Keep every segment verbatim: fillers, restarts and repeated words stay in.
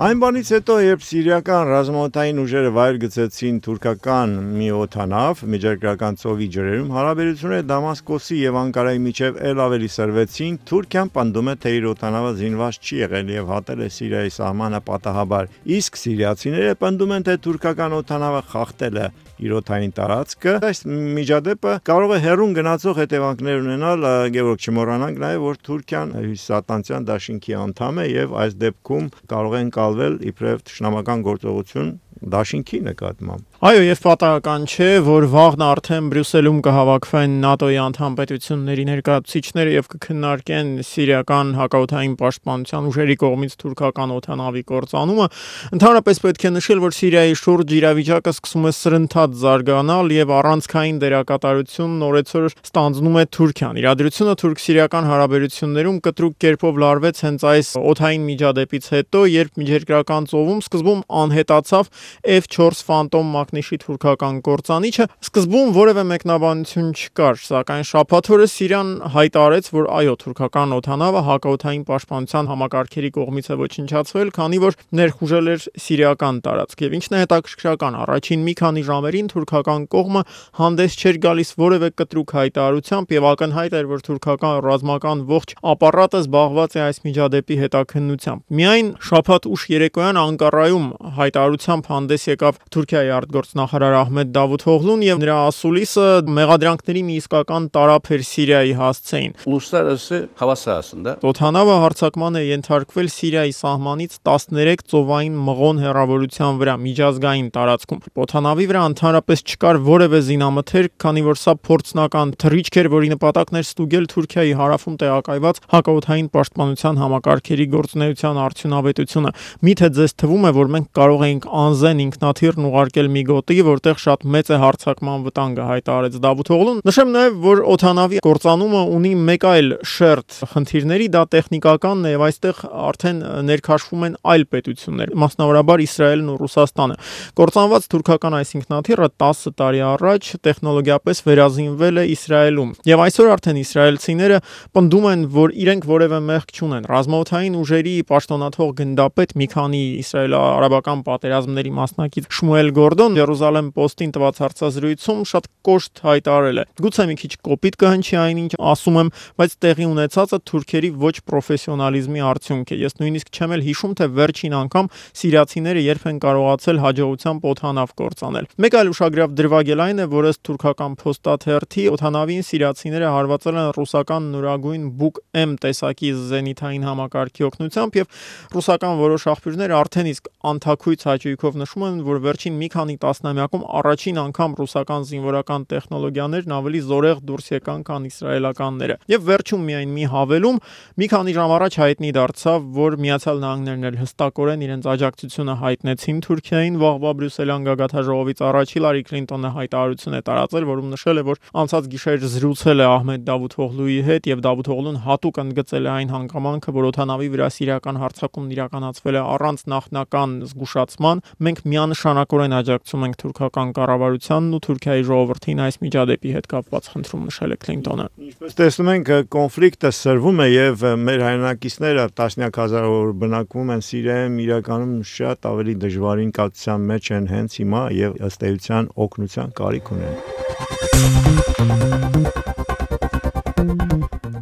Այն բանից հետո, երբ սիրիական ռազմաօդային ուժերը վայր գցեցին թուրքական մի օդանավ Միջերկրական ծովի ջրերում, հարաբերությունները Դամասկոսի և Անկարայի միջև էլ ավելի սրվեցին, Թուրքիան պնդում է, թե իր օդանավը զինված չի եղել և հատել է Սիրիայի սահմանը պատահաբար, իսկ սիրիացիները պնդում են, թե թուրքական օդանավը խախտել է իր օդային տարածքը։ Այս միջադեպը կարող է հեռուն գնացող հետևանքներ ունենալ, Գևորգ, չմոռանանք նաև, որ Թուրքիան Հյուսիսատլանտյան դաշինքի անդամ է և այս դեպքում կարող է ընկալվել իբրև թշնամական գործողություն դաշինքի նկատմամբ։ Այո, եւ պատահական չէ, որ վաղն արդեն Բրյուսելում կհավաքվեն ՆԱՏՕ-ի անդամ պետությունների ներկայացուցիչները եւ կքննարկեն սիրիական հակաօդային պաշտպանության ուժերի կողմից թուրքական օդանավի կործանումը։ Ընդհանրապես պետք է նշել, որ Սիրիայի շուրջ իրավիճակը սկսում է սրընթաց զարգանալ եւ առանցքային դերակատարությունն օրեցօր ստանձնում է Թուրքիան։ Իրադրությունը թուրք-սիրիական հարաբերություններում կտրուկ կերպով լարվեց հենց այս օդային միջադեպից հետո, երբ Միջերկրական ծովում սկզբում անհետացավ F four Phantom մակնիշի թուրքական կործանիչը, սկզբում որևէ մեկնաբանություն չկար, սակայն շաբաթ օրը Սիրիան հայտարարեց, որ այո, թուրքական օդանավը հակաօդային պաշտպանության համակարգերի կողմից է ոչնչացվել, քանի որ ներխուժել էր սիրիական տարածք։ Եվ ինչն է հետաքրքրական, առաջին մի քանի ժամերին թուրքական կողմը հանդես չէր գալիս որևէ կտրուկ հայտարարությամբ եւ ակնհայտ էր, որ թուրքական ռազմական ողջ ապարատը զբաղված է այս միջադեպի հետաքննությամբ։ Միայն շաբաթ ուշ երեկոյան Անկարայում հայտարարությամբ հանդես եկավ Թուրքիայի արտգործնախարար Ահմեդ Դավութօղլուն եւ նրա ասուլիսը մեղադրանքների մի իսկական տարափ էր Սիրիայի հասցեին։ Uluslararası hava sahasında օդանավը հարձակման է ենթարկվել Սիրիայի սահմանից տասներեք ծովային մղոն հեռավորության վրա միջազգային տարածքում։ Օդանավի վրա ընդհանրապես չկար որևէ զինամթերք, քանի որ սա փորձնական թռիչք էր, որի նպատակն էր ստուգել Թուրքիայի հարավում տեղակայված հակաօդային պաշտպանության համակարգերի գործունեության արդյունավետությունը։ Միթե ձեզ թվում է, որ մենք կարող էինք անզեն ինքնաթիռն ուղարկել մի գոտի, որտեղ շատ մեծ է հարձակման վտանգը, հայտարարեց Դավութօղլուն։ Նշեմ նաև, որ օդանավի կործանումը ունի մեկ այլ շերտ խնդիրների, դա տեխնիկականն է եւ այստեղ արդեն ներքաշվում են այլ պետություններ, մասնավորաբար Իսրայելն ու Ռուսաստանը։ Կործանված թուրքական այս ինքնաթիռը տասը տարի առաջ տեխնոլոգիապես վերազինվել է Իսրայելում եւ այսօր արդեն իսրայելցիները պնդում են, որ իրենք որևէ մեղք չունեն։ Ռազմաօդային ուժերի պաշտոնաթող գնդապետ մի քանի իսրայելо-արաբական պատերազմների մասնակից Շմուել Գորդոն Երուսաղեմ Պոստին տված հարցազրույցում շատ կոշտ հայտարարել է. գուցե մի քիչ կոպիտ կհնչի այնինչ ասում եմ, բայց տեղի ունեցածը թուրքերի ոչ պրոֆեսիոնալիզմի արդյունք է։ Ես նույնիսկ չեմ էլ հիշում, թե վերջին անգամ սիրիացիները երբ են կարողացել հաջողությամբ օդանավ կործանել։ Մեկ այլ ուշագրավ դրվագ էլ այն է, որ ըստ թուրքական փոստաթերթի օդանավին սիրիացիները հարվածել են ռուսական նորագույն Buk M տեսակի զենիթային համակարգի օգնությամբ եւ ռուսական որոշ աղբյուրներ արդեն իսկ անթաքույց հաճույքով նշում են, որ վերջին մի քանի տասնամյակում առաջին անգամ ռուսական զինվորական տեխնոլոգիաներն ավելի զորեղ դուրս եկան, քան իսրայելականները։ Եվ վերջում միայն մի հավելում, մի քանի ժամ առաջ հայտնի դարձավ, որ Միացյալ Նահանգներն էլ հստակորեն իրենց աջակցությունը հայտնեցին Թուրքիային վաղվա Բրյուսելյան գագաթնաժողովից առաջ Հիլարի Քլինտոնը հայտարարություն է տարածել, որում նշել է, որ անցած գիշեր զրուցել է Ահմեդ Դավութօղլուի հետ եւ Դավութօղլուն հատուկ ընդգծել է այն հանգամանքը, որ օդանավի վրա սիրիական հարձակումն իրականացվել է առանց նախնական զգուշացման։ Մենք միանշանակորեն աջակցում ենք թուրքական կառավարությանն ու Թուրքիայի ժողովրդին այս միջադեպի հետ կապված, խնդրում նշել է Քլինտոնը։ Ինչպես տեսնում ենք, կոնֆլիկտը սրվում է եւ մեր հայրենակիցները տասնյակ հազարավոր բնակվում են Սիրիայում, իրականում շատ ավելի դժվարին կացության մեջ են հենց հիմա եւ ըստ էության օգնության կարիք ունեն։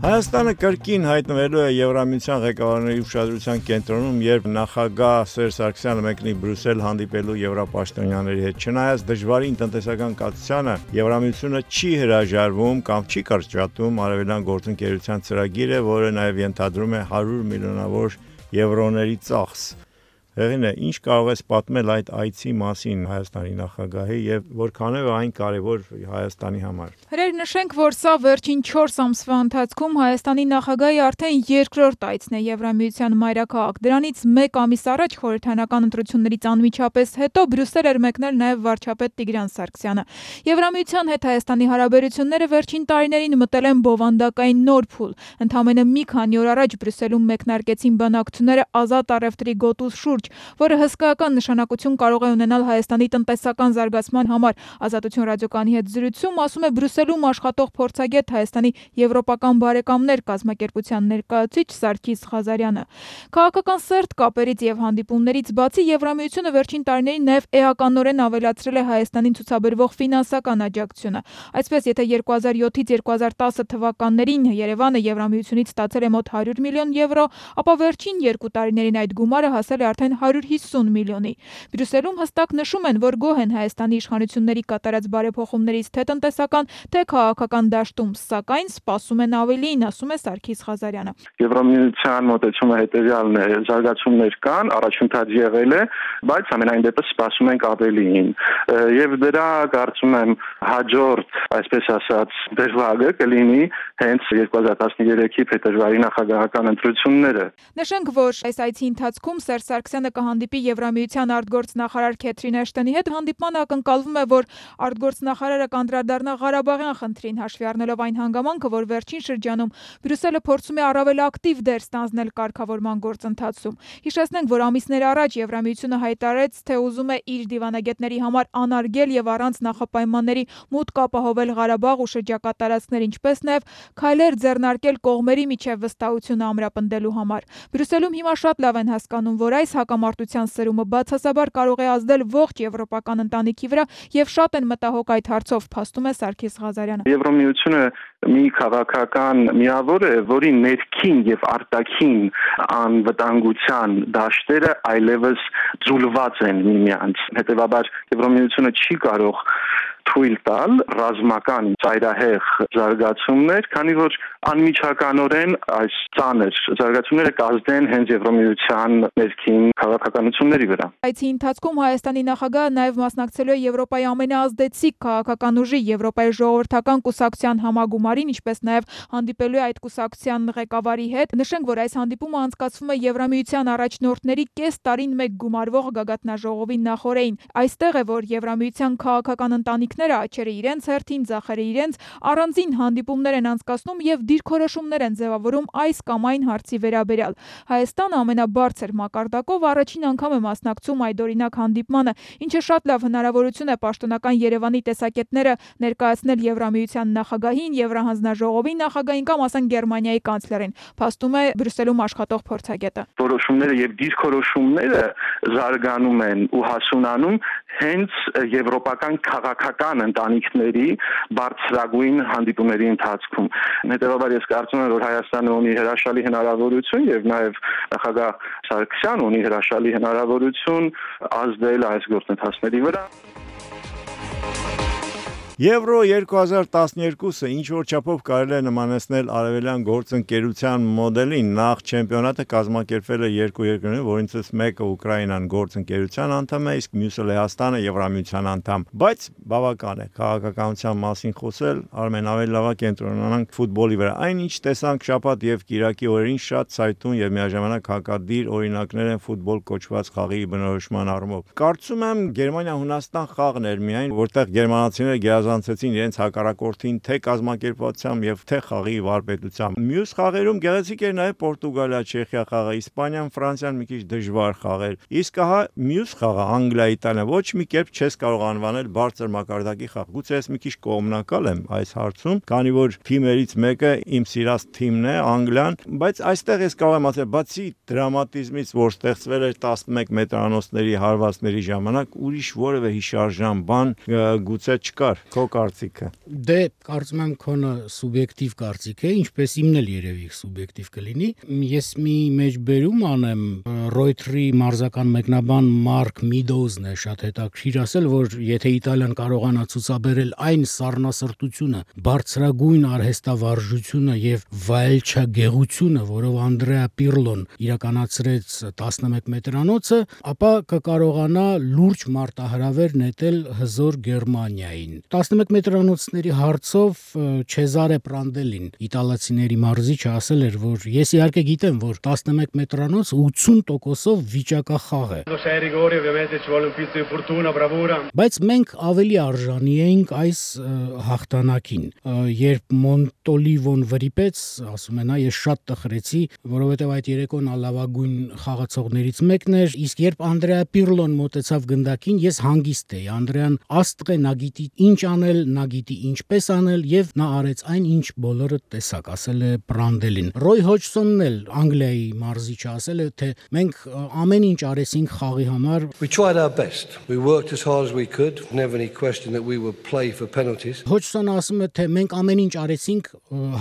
Հայաստանը կրկին հայտնվելու է Եվրամիության ղեկավարների ուշադրության կենտրոնում, երբ նախագահ Սերժ Սարգսյանը մեկնի Բրյուսել հանդիպելու եվրապաշտոնյաների հետ։ Չնայած դժվարին տնտեսական կացությանը, Եվրամիությունը չի հրաժարվում կամ չի կարճատում արևելյան գործընկերության ծրագիրը, որը նաև ենթադրում է հարյուր միլիոնավոր եվրոների ծախս։ Հեղինե, ինչ կարող ես պատմել այդ այցի մասին Հայաստանի նախագահի եւ որքանով այն կարեւոր Հայաստանի համար։ Հրեր նշենք, որ սա վերջին չորս ամսվա ընթացքում Հայաստանի նախագահի արդեն երկրորդ այցն է Եվրամիության մայրաքաղաք։ Դրանից մեկ ամիս առաջ խորհրդարանական ընտրություններից անմիջապես հետո Բրյուսել էր մեկնել նաեւ վարչապետ Տիգրան Սարգսյանը։ Եվրամիության հետ Հայաստանի հարաբերությունները վերջին տարիներին մտել են բովանդակային նոր փուլ։ Ընդամենը մի քանի օր առաջ Բրյուսելում մեկնարկեցին բանակցությունները ազատ առևտրի գոտու շուրջ լուրջ, որը հսկայական նշանակություն կարող է ունենալ Հայաստանի տնտեսական զարգացման համար։ Ազատություն ռադիոկայանի հետ զրույցում ասում է Բրյուսելում աշխատող փորձագետ Հայաստանի եվրոպական բարեկամներ կազմակերպության ներկայացուցիչ Սարգիս Ղազարյանը։ Քաղաքական սերտ կապերից եւ հանդիպումներից բացի Եվրամիությունը վերջին տարիներին նաեւ էականորեն ավելացրել է Հայաստանին ցուցաբերվող ֆինանսական աջակցությունը։ Այսպես, եթե երկու հազար յոթից երկու հազար տասը թվականներին Երևանը Եվրամիությունից ստացել է մոտ հարյուր միլիոն եվրո, ապա վերջին երկու տարիներին այդ գումարը հասել է արդեն հարյուր հիսուն միլիոնի։ Բրյուսելում հստակ նշում են, որ գոհ են Հայաստանի իշխանությունների կատարած բարեփոխումներից թե տնտեսական, թե քաղաքական դաշտում, սակայն սպասում են ավելին, ասում է Սարգիս Ղազարյանը։ Եվրամիության մոտեցումը հետևյալն է, զարգացումներ կան, առաջընթաց եղել է, բայց ամենայն դեպս սպասում ենք ավելին։ Եվ դրա կարծում եմ հաջորդ, այսպես ասած, դերվագը կլինի հենց երկու հազար տասներեքի փետրվարի նախագահական ընտրությունները։ Նշենք, որ այս այցի ընթացքում Սերժ Սարգսյանը կհանդիպի Եվրամիության արտգործնախարար Քեթրին Էշտոնի հետ։ Հանդիպմանը ակնկալվում է, որ արտգործնախարարը կանդրադառնա Ղարաբաղյան խնդրին, հաշվի առնելով այն հանգամանքը, որ վերջին շրջանում Բրյուսելը փորձում է առավել ակտիվ դեր ստանձնել կարգավորման գործընթացում։ Հիշեցնենք, որ ամիսներ առաջ Եվրամիությունը հայտարարեց, թե ուզում է իր դիվանագետների համար անարգել եւ առանց նախապայմանների մուտք ապահովել Ղարաբաղ ու շրջակա տարածքներ, ինչպես նաեւ քայլեր ձեռնարկել կողմերի միջև վստահությունը ամրապնդելու համար։ Բրյուսելում հիմա շատ լավ են հասկանում, որ այս հակամարտության սրումը բացասաբար կարող է ազդել ողջ եվրոպական ընտանիքի վրա եւ շատ են մտահոգ այդ հարցով, փաստում է Սարգիս Ղազարյանը։ Եվրամիությունը մի քաղաքական միավոր է, որի ներքին եւ արտաքին անվտանգության դաշտերը այլևս ձուլված են միմյանց։ Հետևաբար Եվրամիությունը չի կարող թույլ տալ ռազմական ծայրահեղ զարգացումներ, քանի որ անմիջականորեն այս ծանր զարգացումները կազդեն հենց Եվրամիության ներքին քաղաքականությունների վրա։ Այցի ընթացքում Հայաստանի նախագահը նաև մասնակցելու է Եվրոպայի ամենաազդեցիկ քաղաքական ուժի Եվրոպայի ժողովրդական կուսակցության համագումարին, ինչպես նաև հանդիպելու է այդ կուսակցության ղեկավարի հետ։ Նշենք, որ այս հանդիպումը անցկացվում է Եվրամիության առաջնորդների կես տարին մեկ գումարվող գագաթնաժողովի նախօրեին։ Այստեղ է, որ Եվրամիության քաղաքական ընտանիքները աչերը իրենց հերթին, ձախերը իրենց առանձին հանդիպումներ են անցկացնում եւ դիրքորոշումներ են ձևավորում այս կամ այն հարցի վերաբերյալ։ Հայաստանը ամենաբարձր մակարդակով առաջին անգամ է մասնակցում այդ օրինակ հանդիպմանը, ինչը շատ լավ հնարավորություն է պաշտոնական Երևանի տեսակետները ներկայացնել Եվրամիության նախագահին, Եվրահանձնաժողովի նախագահին կամ ասենք Գերմանիայի կանցլերին, փաստում է Բրյուսելում աշխատող փորձագետը։ Որոշումները եւ դիրքորոշումները զարգանում են ու հասունանում հենց եվրոպական քաղաքական ընտանիքների բարձրագույն հանդիպումների ընթացքում։ Հետևաբար ես կարծում եմ, որ Հայաստանը ունի հրաշալի հնարավորություն եւ նաեւ նախագահ Սարգսյանը ունի հրաշալի հնարավորություն ազդել այս գործընթացների վրա։ Եվրո երկու հազար տասներկուսը ինչ որ չափով կարելի է նմանեցնել արևելյան գործընկերության մոդելին։ Նախ չեմպիոնատը կազմակերպվել է երկու երկրներում, որոնցից մեկը Ուկրաինան գործընկերության անդամ է, իսկ մյուսը Լեհաստանը Եվրամիության անդամ։ Բայց բավական է քաղաքականության մասին խոսել, Արմեն, ավելի լավ է կենտրոնանանք ֆուտբոլի վրա։ Այնինչ տեսանք շաբաթ եւ կիրակի օրերին շատ ցայտուն եւ միաժամանակ հակադիր օրինակներ են ֆուտբոլ կոչված խաղի բնորոշման առումով։ Կարծում եմ Գերմանիա-Հունաստան խաղն էր միայն, որտեղ գերմանացիները գերազանցեցին իրենց հակառակորդին թե կազմակերպվածությամբ եւ թե խաղի վարպետությամբ։ Մյուս խաղերում գեղեցիկ էր նաեւ Պորտուգալիա-Չեխիա խաղը, Իսպանիան, Ֆրանսիան մի քիչ դժվար խաղեր։ Իսկ ահա մյուս խաղը Անգլիա-Իտալիա ոչ մի կերպ չես կարող անվանել բարձր մակարդակի խաղ։ Գուցե ես մի քիչ կողմնակալ եմ այս հարցում, քանի որ թիմերից մեկը իմ սիրած թիմն է, Անգլիան, բայց այստեղ ես կարող եմ ասել, բացի դրամատիզմից, որ ստեղծվել էր տասնմեկ մետրանոցների հարվածների ժամանակ, ուրիշ որևէ հիշարժան բան գուցե չկար։ Քո կարծիքը։ Դե կարծում եմ քոնը սուբյեկտիվ կարծիք է, ինչպես իմն էլ երևի սուբյեկտիվ կլինի։ Ես մի մեջբերում անեմ, Ռոյթերի մարզական մեկնաբան Մարկ Միդոուզն է շատ հետաքրքիր ասել, որ եթե Իտալիան կարողանա ցուցաբերել այն սառնասրտությունը, բարձրագույն արհեստավարժությունը եւ վայելչագեղությունը, որով Անդրեա Պիրլոն իրականացրեց տասնմեկ մետրանոցը, ապա կկարողանա լուրջ մարտահրավեր նետել հզոր Գերմանիային։ տասնմեկ մետրանոցների հարցով Չեզարե Պրանդելին, իտալացիների մարզիչը, ասել էր, որ ես իհարկե գիտեմ, որ տասնմեկ մետրանոց ութուն տոկոսով վիճակախաղ է։ Բայց մենք ավելի արժանի էինք այս հաղթանակին։ Երբ Մոնտոլիվոն վրիպեց, ասում է նա, ես շատ տխրեցի, որովհետև այդ երեկոն լավագույն խաղացողներից մեկն էր, իսկ երբ Անդրեա Պիրլոն մոտեցավ գնդակին, ես հանգիստ էի։ Անդրեան աստղ է, նա գիտի ինչ անել, նա գիտի ինչպես անել եւ նա արեց այն, ինչ բոլորը տեսակ, ասել է Պրանդելին։ Ռոյ Հոջսոնն էլ Անգլիայի մարզիչը ասել է, թե մենք ամեն ինչ արեցինք խաղի համար։ We tried our best. We worked as hard as we could. Never any question that we would play for penalties. Հոջսոնը ասում է, թե մենք ամեն ինչ արեցինք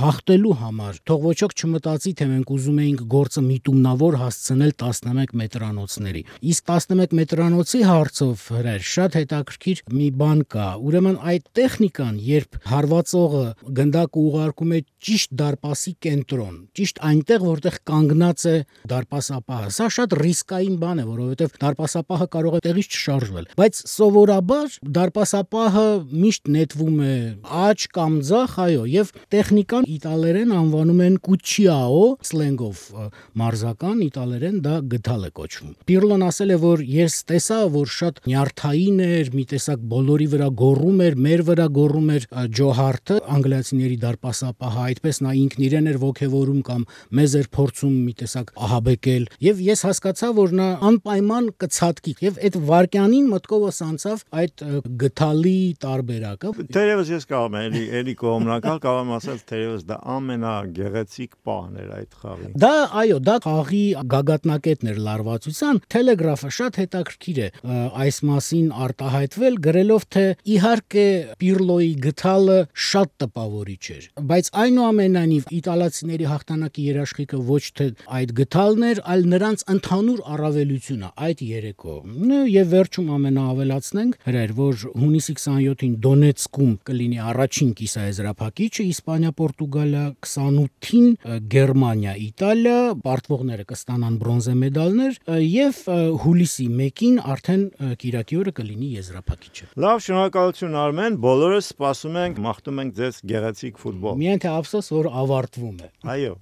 հաղթելու համար։ Թող ոչոք չմտածի, թե մենք ուզում էինք գործը միտումնավոր հասցնել տասնմեկ մետրանոցների։ Իսկ տասնմեկ մետրանոցի հարցով հրեր շատ հետաքրքիր մի բան կա։ Ուրեմն այդ տեխնիկան, երբ հարվածողը գնդակը ուղարկում է ճիշտ դարպասի կենտրոն, ճիշտ այնտեղ, որտեղ կանգնած է դարպասապահը, սա շատ ռիսկային բան է, որովհետև դարպասապահը կարող է տեղից չշարժվել։ Բայց սովորաբար դարպասապահը միշտ նետվում է աջ կամ ձախ, այո, եւ տեխնիկան իտալերեն անվանում են կուչիաո, սլենգով մարզական, իտալերեն դա գդալ է կոչվում։ Պիրլոն ասել է, որ ես տեսա, որ շատ նյարդային էր, մի տեսակ բոլորի վրա գոռում էր, մեր վրա գոռում էր Ջո Հարթը, անգլիացիների դարպասապահը, այդպես նա ինքն իրեն էր ոգևորում կամ մեզ էր փորձում մի տեսակ ահաբեկել, եւ ես հասկացա, որ նա անպայման կցածկի, եւ այդ վարքյանին մտքովս անցավ այդ գդալի տարբերակը։ Թերևս ես կարող եմ էլի էլի կողմնակալ կարող եմ ասել, թերևս դա ամենագեղեցիկ պահն էր այդ խաղի։ Դա այո, դա խաղի գագաթնակետն էր լարվածության։ Թելեգրաֆը շատ հետաքրքիր է այս մասին արտահայտվել, գրելով, թե իհարկե Պիրլոյի գդալը շատ տպավորիչ էր, բայց այնուամենայնիվ իտալացիների հաղթանակի երաշխիքը ոչ թե այդ գդալն էր, այլ նրանց ընդհանուր առավելությունը այդ երեկո։ Եվ վերջում ամենաավելացնենք հրեր, որ հունիսի քսանյոթին Դոնեցկում կլինի առաջին կիսաեզրափակիչը, Իսպանիա-Պորտուգալիա, քսանութին Գերմանիա, Իտալիա, պարտվողները կստանան բրոնզե մեդալներ եւ հուլիսի մեկին արդեն կիրակի օրը կլինի եզրափակիչը։ Լավ, շնորհակալություն Արմեն, բոլորս սպասում ենք, մաղթում ենք ձեզ գեղեցիկ ֆուտբոլ։ Միայն թե ափսոս, որ ավարտվում է։ Այո։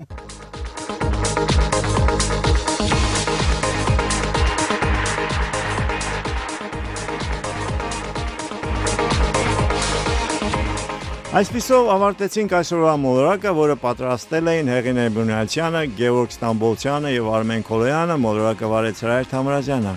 Այսպիսով ավարտեցինք այսօրվա մոլորակը, որը պատրաստել էին Հեղինե Բունյացյանը, Գևորգ Ստամբոլցյանը եւ Արմեն Քոլոյանը, մոլորակը վարեց Հրայր Թամրազյանը։